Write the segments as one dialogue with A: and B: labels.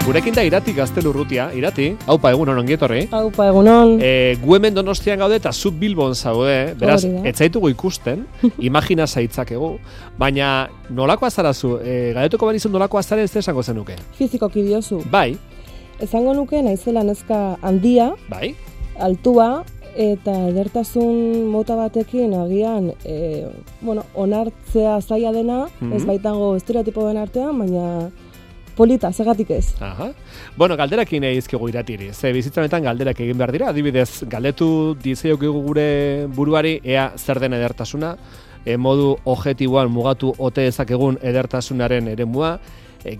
A: Gurekin da Irati Gaztelurrutia, Irati, haupa egunon ongietorri.
B: Haupa egunon.
A: Gu hemen Donostian gaude eta zu Bilbon zaude, beraz, ez zaitugu ikusten, imagina zaitzakegu, baina nolakoa zarazu, galdetuko benizun nolakoa zaren ez esango zenuke?
B: Fizikoki diozu.
A: Bai.
B: Esango nuke naizela neska handia,
A: bai.
B: Altua, eta edertasun mota batekin agian, onartzea zaila dena, ez baitango estereotipoen artean, baina polita, zergatik ez.
A: Aha. Bueno, galderakin egizkigu Iratiri. Ze bizitzan galderak egin behar dira. Adibidez, galdetu dizeiokigu gure buruari ea zer den edertasuna, modu objektiboan mugatu ote ezakegun edertasunaren eremua,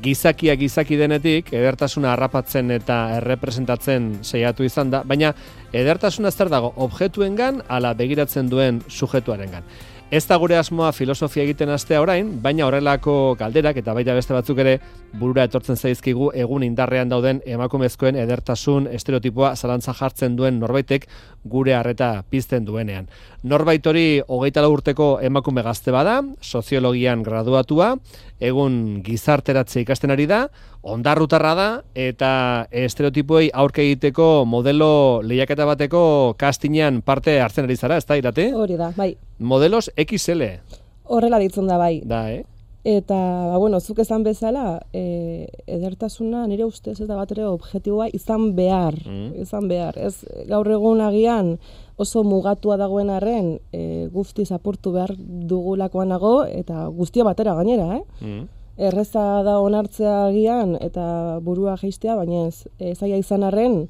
A: gizakia gizaki denetik edertasuna harrapatzen eta errepresentatzen saiatu izan da, baina edertasuna zer dago objektuengan ala begiratzen duen subjektuarengan. Ez da gure asmoa filosofia egiten hastea orain, baina horrelako galderak eta baita beste batzuk ere burura etortzen zaizkigu egun indarrean dauden emakumezkoen edertasun estereotipoa zalantza jartzen duen norbaitek gure harreta pizten duenean. Norbait hori 24 urteko emakume gazte bada, soziologian graduatua, egun gizarteratze ikasten ari da, ondarrutarra da eta estereotipoei aurke egiteko modelo lehiaketa bateko castingean parte hartzen ari zara, ez da, Irati?
B: Hori da, bai.
A: Modelos XL.
B: Horrela ditzen da, bai.
A: Da,
B: Eta, zuk esan bezala, edertasuna nire ustez ez da bat ere objektiboa izan behar. Izan behar. Ez, gaur egun agian oso mugatua dagoen arren guztiz apurtu behar dugulakoan nago eta guztia batera gainera, Erreza da onartzea agian eta burua jeistea, baina ez zaila izan arren,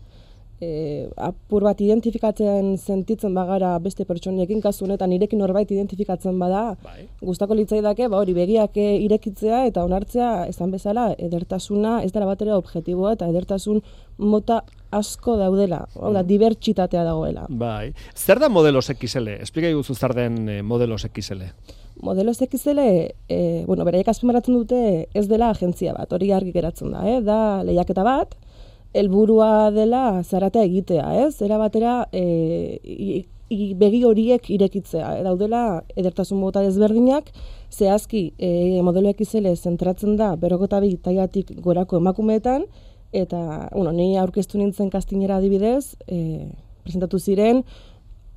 B: apur bat identifikatzen sentitzen bagara beste pertsonekin, kasu honetan nirekin norbait identifikatzen bada, gustako litzaidake hori begiak irekitzea eta onartzea esan bezala edertasuna ez dela batera objektiboa eta edertasun mota asko daudela, dibertsitatea dagoela.
A: Bai. Zer da Modelos XL? Esplika iguzu zer den Modelos XL.
B: Modelos XL, beraiek azpimarratzen dute ez dela agentzia bat, hori argi geratzen da, da lehiaketa bat, helburua dela zaratea egitea, Era batera begi horiek irekitzea. Daudela edertasun mota desberdinak, zehazki modelo XL zentratzen da 42 tailatik gorako emakumeetan, eta ni aurkeztu nintzen castingera adibidez, presentatu ziren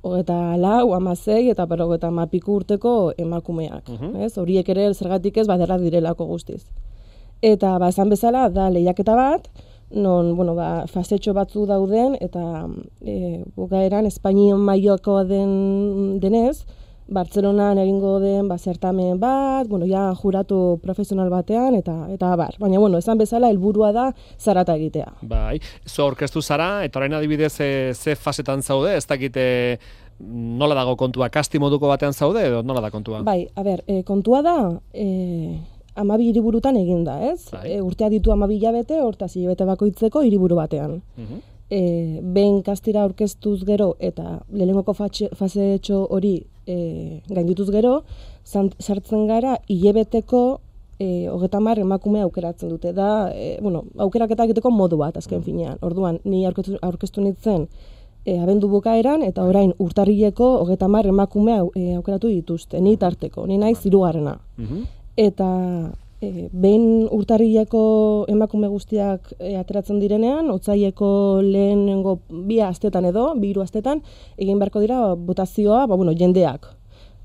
B: 24, 16 eta 50 urteko emakumeak. Horiek ere zergatik ez baderra direlako guztiz. Eta esan bezala da lehiaketa bat, non, fasetxo batzu dauden, eta bukaeran Espainian mailakoa denez, Bartzelonan egingo den zertamen bat, juratu profesional batean, eta bar. Baina, esan bezala, helburua da zarata egitea.
A: Bai, zu aurkeztu zara, eta orain adibidez ze fasetan zaude, ez dakite nola dago kontua, kasti moduko batean zaude, edo nola da kontua?
B: Bai, kontua da, 12 hiriburutan egin da, ez? Urtea ditu 12 hilabete, hortaz hilabete bakoitzeko hiriburu batean. Behin kastira aurkeztuz gero eta lehenengoko fasetxo hori gaindituz gero, sartzen gara hilabeteko 30 emakume aukeratzen dute. Da, aukeraketa egiteko modu bat, azken finean. Orduan, ni aurkeztu nintzen abendu bukaeran, eta orain urtarrileko 30 emakume aukeratu dituzte, ni tarteko, ni naiz 3. Eta behin urtarrileko emakume guztiak ateratzen direnean, otsaileko lehenengo 2 astetan edo, 2-3 astetan, egin beharko dira botazioa, jendeak.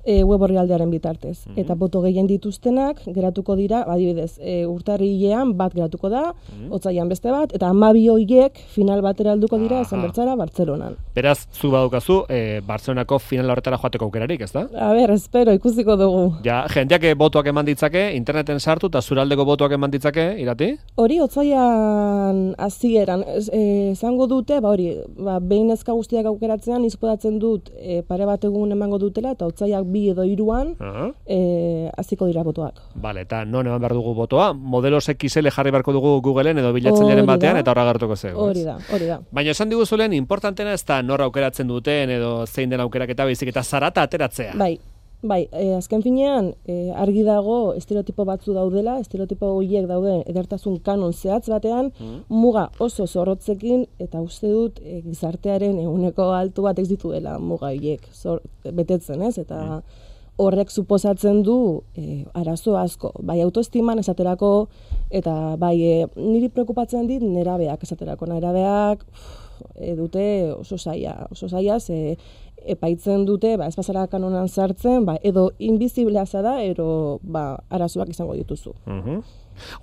B: Web orrialdearen bitartez. Eta boto gehien dituztenak geratuko dira, adibidez, urtarrilean bat geratuko da, otsailean beste bat, eta 12 horiek final batera helduko dira esan bertzara Bartzelonan.
A: Beraz, zu badukazu Bartzelonako final horretara joateko aukerarik, ez da?
B: Espero, ikusiko dugu.
A: Ja, jendeak botoak eman ditzake, interneten sartu eta zuraldeko botoak eman ditzake, Irati?
B: Hori otsailean hasieran esango dute, behin neska guztiak aukeratzean izpodatzen dut pare bat egun emango dutela eta otsailak 2 edo 3 hasiko dira botoak.
A: Bale, eta non eman behar dugu botoa? Modelos XL jarri beharko dugu Googleen edo bilatzaileren batean eta horra gertuko zego.
B: Hori da.
A: Baina esan diguzulen, importantena ez da nor aukeratzen duten edo zein den aukeraketa baizik eta zarata ateratzea.
B: Bai, azken finean argi dago estereotipo batzu daudela, estereotipo horiek daude edertasun kanon zehatz batean, muga oso zorrotzekin, eta uste dut gizartearen ehuneko altu bat ez dituela muga horiek betetzen, ez? Eta horrek suposatzen du arazo asko, bai autoestiman esaterako, eta bai niri preokupatzen dit nerabeak esaterako, nerabeak dute oso zaila, ze epaitzen dute, ez bazara kanonan sartzen, edo inbiziblea zara, ero arazoak izango dituzu.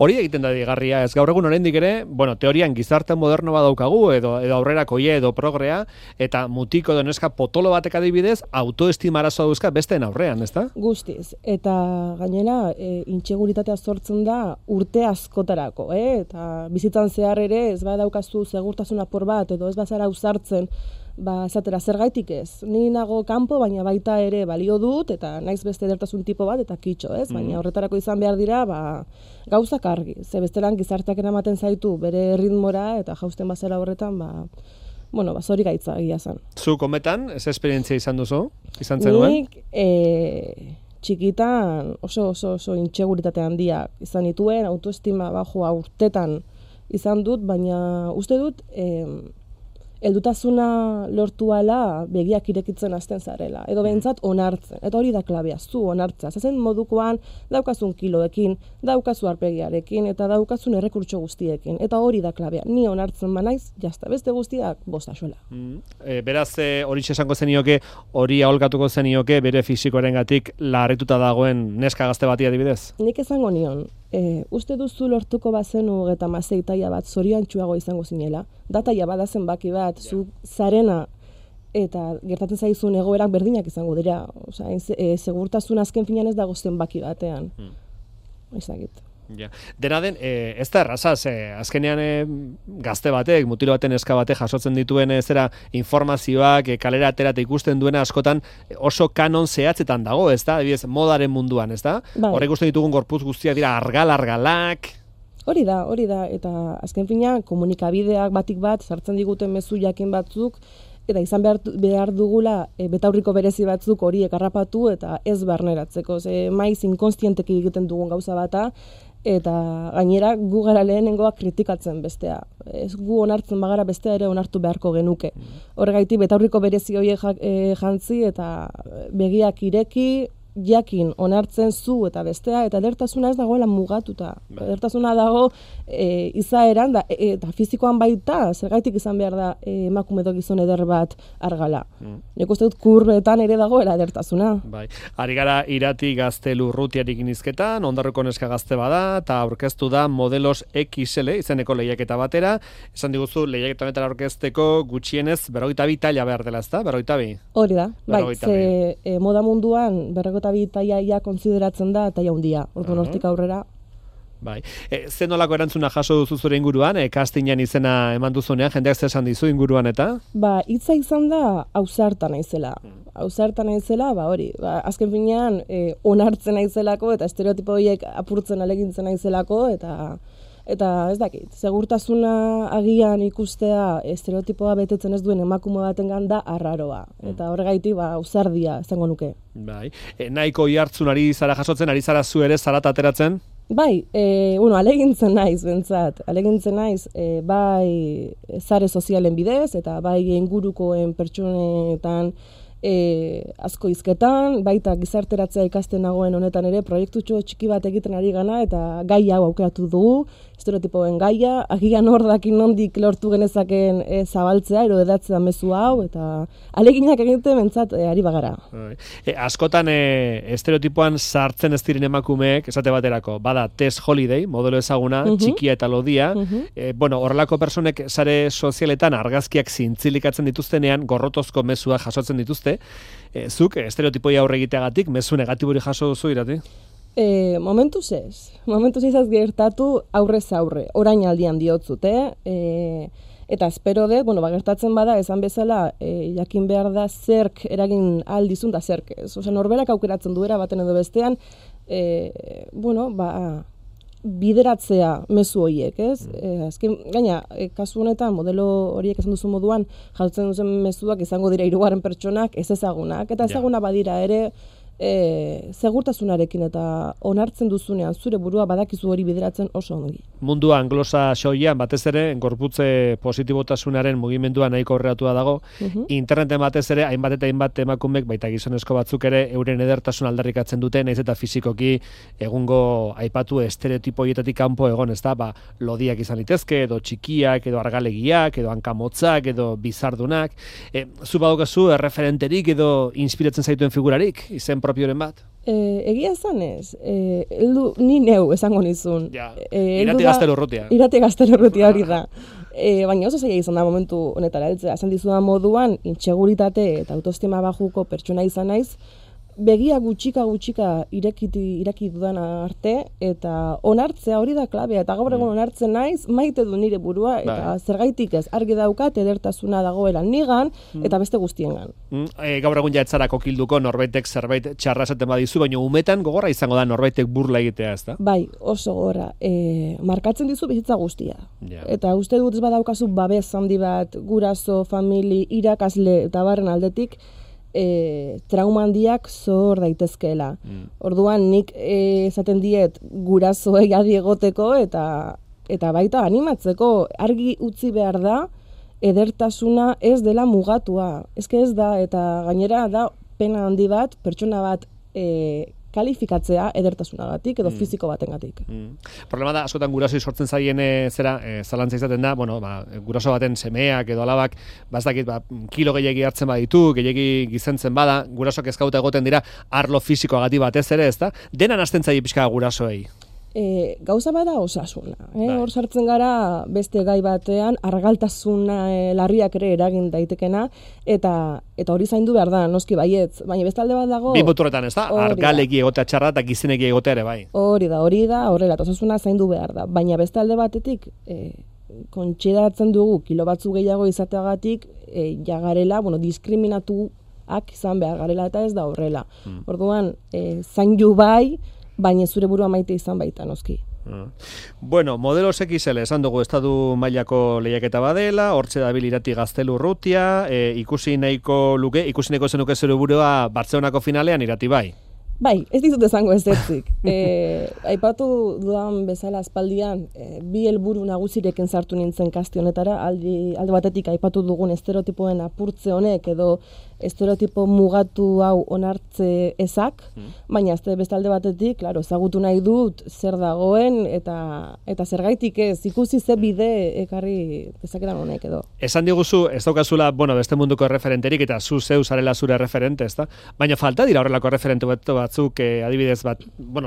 A: Hori egiten da digarria, ez gaur egun oraindik ere, teorian gizarte moderno badaukagu, edo aurrerakoia edo progrea, eta mutiko edo neska potolo batek adibidez, autoestima arazoa dauzka besteen aurrean, ezta?
B: Guztiz, eta gainera, intxeguritatea sortzen da urte askotarako, eta bizitzan zehar ere, ez badaukazu segurtasun apur bat, edo ez bazara ausartzen, esatera zergaitik ez. Ni nago kanpo, baina baita ere balio dut, eta naiz beste edertasun tipo bat, eta kitxo, ez? Baina horretarako izan behar dira, gauzak argi. Ze bestelan gizarteak eramaten zaitu bere ritmora, eta jausten bazera horretan, zori gaitza egia zen.
A: Zu kometan, ez esperientzia izan duzu? Izan zenuen?
B: Nik txikitan oso intxeguritate handia izan dituen, autoestima bajua urtetan izan dut, baina uste dut heldutasuna lortu ala begiak irekitzen hasten zarela, edo behintzat onartzen, eta hori da klabea, zu onartza. Zazen modukoan daukazun kiloekin, daukazu arpegiarekin, eta daukazun errekurtso guztiekin, eta hori da klabea. Ni onartzen banaiz, jazta, beste guztiak bostaxoela.
A: Beraz, hori esango zenioke, hori aholkatuko zenioke, bere fisikoarengatik larrituta dagoen neska gazte bati adibidez?
B: Nik esango nion, uste duzu lortuko bazenu 36 taila bat zoriontsuago izango zinela, da taila badazen baki bat, zu zarena eta gertatzen zaizun egoerak berdinak izango dira. Segurtasun azken finean ez dago zenbaki batean. Ezagit.
A: Dena den, ez da erraza, azkenean gazte batek, mutilo baten eska batek jasotzen dituen informazioak, kalera aterat ikusten duena askotan oso kanon zehatzetan dago, ez da? Modaren munduan, ez da? Horrek ikusten ditugun gorputz guztiak dira argalak.
B: Hori da, eta azken finean komunikabideak batik bat sartzen diguten mezu jakin batzuk, eta izan behar dugula betaurriko berezi batzuk horiek harrapatu eta ez barneratzeko. Maiz inkonstienteki egiten dugun gauza bata, eta gainera gu gara lehenengoak kritikatzen bestea. Ez gu onartzen bagara bestea ere onartu beharko genuke. Horregaitik betaurriko berezi horiek jantzi eta begiak ireki, jakin onartzen zu eta bestea, eta edertasuna ez dagoela mugatuta. Edertasuna dago izaeran eta fizikoan baita, zergaitik izan behar da emakume edo gizon eder bat argala. Nik uste dut kurbetan ere dagoela edertasuna.
A: Ari gara Irati Gazte Lurrutiarik inizketan, Ondarruko neska gazte bada, eta aurkeztu da Modelos XL izeneko lehiaketa batera. Esan diguzu lehiaketa honetara aurkezteko gutxienez 42 taila behar dela, ezta? 42?
B: Hori da, ze moda munduan 42 taila konsideratzen da taila handia. Orduan hortik aurrera.
A: Ze nolako erantzuna jaso duzu zure inguruan, castingan izena eman duzunean, jendeak zer esan dizu inguruan eta?
B: Hitza izan da ausarta naizela. Ausarta naizela, hori, azken finean onartzen naizelako eta estereotipo horiek apurtzen alegintzen naizelako eta ez dakit, segurtasuna agian ikustea estereotipoa betetzen ez duen emakume batengan da arraroa. Eta horregaitik ausardia izango nuke.
A: Nahiko ihartzun ari zara jasotzen, ari zara zu ere zarata ateratzen?
B: Alegintzen naiz, bentsat. Alegintzen naiz, bai sare sozialen bidez, eta bai ingurukoen pertsonetan asko hizketan, baita gizarteratzea ikasten nagoen honetan ere, proiektutxo txiki bat egiten ari gana, eta gai hau aukeratu dugu, estereotipoen gaia, agian hor dakin nondik lortu genezaken zabaltzea, ero edatzea mezu hau, eta aleginak egiten bentsat ari bagara.
A: Askotan estereotipoan sartzen ez diren emakumeek, esate baterako, bada Tess Holiday, modelo ezaguna, txikia eta lodia, horrelako personek sare sozialetan argazkiak zintzilikatzen dituztenean, gorrotozko mezua jasotzen dituzte, zuk estereotipoi aurre egiteagatik mezu negatibori jaso duzu Irati?
B: Momentuz ez gertatu aurrez aurre, orain aldian diotzut, eta espero dut, gertatzen bada, esan bezala, jakin behar da zerk eragin aldizun da zerk ez. Norberak aukeratzen duera baten edo bestean, bideratzea mezu horiek, ez? Azken, gaina, kasu honetan, modelo horiek esan duzu moduan, jartzen duzen mezuak izango dira hirugarren pertsonak ez ezagunak, eta ezaguna badira ere, segurtasunarekin eta onartzen duzunean zure burua badakizu hori bideratzen oso ongi.
A: Mundua anglosaxoian batez ere gorputze positibotasunaren mugimendua nahiko aurreratua dago. Interneten batez ere hainbat eta hainbat emakumek baita gizonezko batzuk ere euren edertasun aldarrikatzen dute, naiz eta fisikoki egungo aipatu estereotipo hietatik kanpo egon, ezta? Lodiak izan litezke edo txikiak edo argalegiak edo hankamotzak edo bizardunak. Zu badukazu erreferenterik edo inspiratzen zaituen figurarik izen propioren bat?
B: Egia zanez, ni neu esango nizun.
A: Irati Gaztelurrutia.
B: Irati Gaztelurrutia hori da. Baina oso zaila izan da momentu honetara heltzea. Esan dizudan moduan, inseguritate eta autoestima bajuko pertsona izan naiz, begia gutxika ireki dudan arte, eta onartzea hori da klabea, eta gaur egun onartzen naiz, maite du nire burua, eta zergaitik ez, argi daukat edertasuna dagoela nigan, eta beste guztiengan.
A: Gaur egun ja etzara kokilduko norbaitek zerbait txarra esaten badizu, baina umetan gogorra izango da norbaitek burla egitea, ezta?
B: Bai, oso gogorra. Markatzen dizu bizitza guztia. Eta uste dut ez badaukazu babes handi bat, guraso, famili, irakasle eta barren aldetik, trauma handiak zor daitezkeela. Orduan nik esaten diet gurasoei adi egoteko eta baita animatzeko argi utzi behar da edertasuna ez dela mugatua. Ez da, eta gainera da pena handi bat, pertsona bat kalifikatzea edertasunagatik edo fisiko batengatik.
A: Problema da, askotan gurasoi sortzen zaien zalantza izaten da, guraso baten semeak edo alabak, kilo gehiagi hartzen baditu, gehiagi gizentzen bada, gurasok ezkauta egoten dira arlo fisikoagatik batez ere, ezta? Denan hasten zaie pixka gurasoei.
B: Gauza bada osasuna. Hor sartzen gara beste gai batean argaltasuna larriak ere eragin daitekena eta hori zaindu behar da, noski baietz. Baina beste alde bat dago...
A: Bi muturretan, ez da? Argaleki egotea txarra eta gizeneki egotea ere bai.
B: Hori da, horrela, osasuna zaindu behar da. Baina beste alde batetik kontsideratzen dugu kilo batzu gehiago izateagatik jagarela, diskriminatuak izan behar garela eta ez da horrela. Orduan, zaindu bai, baina zure burua maite izan baita, noski.
A: Bueno, Modelos XL esan dugu estatu mailako lehiaketa badela, hortxe dabil Irati Gaztelurrutia, ikusi nahiko zenuke zure burua Bartzelonako finalean Irati bai?
B: Bai, ez dizut esango ez dutzik. Aipatu dudan bezala aspaldian, bi helburu nagusirekin sartu nintzen kaste honetara, alde batetik aipatu dugun estereotipoen apurtze honek edo estereotipo mugatu hau onartze ezak, baina beste alde batetik, claro, ezagutu nahi dut zer dagoen eta zergaitik ez, ikusi ze bide ekarri dezaketan honek edo.
A: Esan diguzu, ez daukazula, beste munduko referenterik eta zu zeu zarela zure referente, ezta? Baina falta dira horrelako referente batzuk, adibidez bat,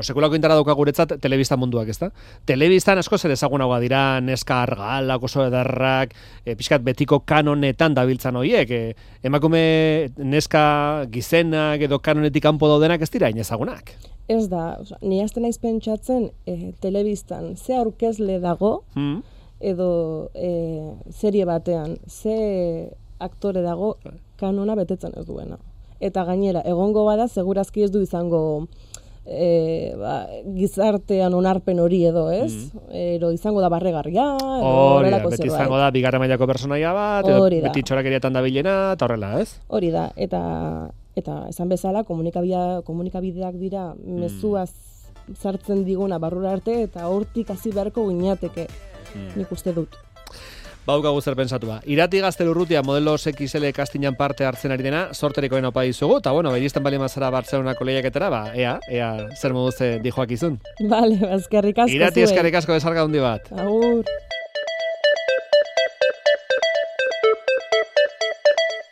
A: sekulako indara dauka guretzat telebista munduak, ezta? Telebistan asko zer ezagunagoa dira, neska argalak, oso edarrak, pixkat betiko kanonetan dabiltzan horiek, emakume neska gizenak edo kanonetik kanpo daudenak ez dira inezagunak.
B: Ez da, ni hasten naiz pentsatzen telebistan ze aurkezle dago edo serie batean ze aktore dago kanona betetzen ez duena. Eta gainera, egongo bada, segurazki ez du izango gizartean onarpen hori edo, ez? Ero izango da barregarria,
A: beti izango da bigarren mailako personaia bat, edo beti txorakeriatan dabilena, eta horrela, ez?
B: Hori da, eta esan bezala komunikabideak dira mezuaz sartzen diguna barrura arte, eta hortik hasi beharko gineateke, nik uste dut.
A: Baukagu zer pensatua. Irati Gaztelurrutia Modelos XL kastinan parte hartzen ari dena, sorterikoen opa dizugu, eta iristen bali mazara Bartzelonako lehiaketara, ea zer moduz dijoak izun.
B: Bale, eskerrik asko.
A: Irati eskerrik asko desarga hundi bat.
B: Agur.